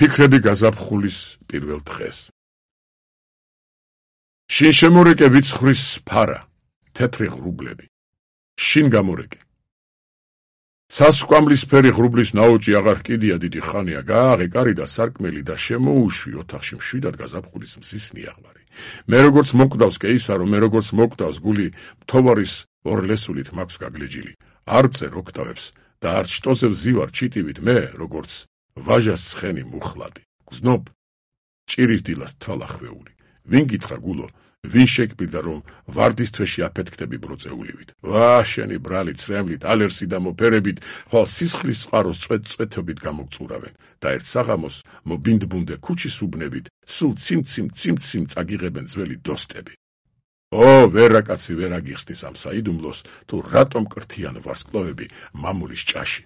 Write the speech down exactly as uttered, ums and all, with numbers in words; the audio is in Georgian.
ფიქრები გაზაფხულის პირველ დღეს. შინ შემორეკე ვიცხვრის ფარა, თეთრი ღრუბლები. შინ გამორეკე. სასკვამლისფერი ღრუბლის ნაოჭი აღარ ჰკიდია დიდი ხანია, გააღე კარი და სარკმელი და შემოუშვი ოთახში მშვიდად გაზაფხულის მზის ნიაღვარი. მე როგორც მოკვდავს კეისარო, მე როგორც მოკვდავს გული, მთავარის ორლესულით მაქვს გაგლეჯილი. არ წერ ოქტავებს და არ ჩტოზებ ზივარ ჩიტივით მე, როგორც ვაჟას ცხენი მუხლადი. გზნობ ჭირის დილას თვალახვეული. ვინ გითხრა გულო, ვინ შეგბირდა რომ ვარდის თვეში აფეთქდები ბროწეულივით. ვა შენი ბრალი ცრემლით, ალერსი და მოფერებით, ხვალ სისხლის წყაროს წვეთ-წვეთობით გამოგწურავენ და ერთ საღამოს მობინდბუნდე ქუჩის უბნებით, სულ ციმციმ ციმციმ წაგიღებენ ძველი დოსტები. ო, ვერა კაცი ვერ აგიხსნის ამ საიდუმლოს, თუ რატომ კრთიან ვარსკვლავები მამულის ჭაში.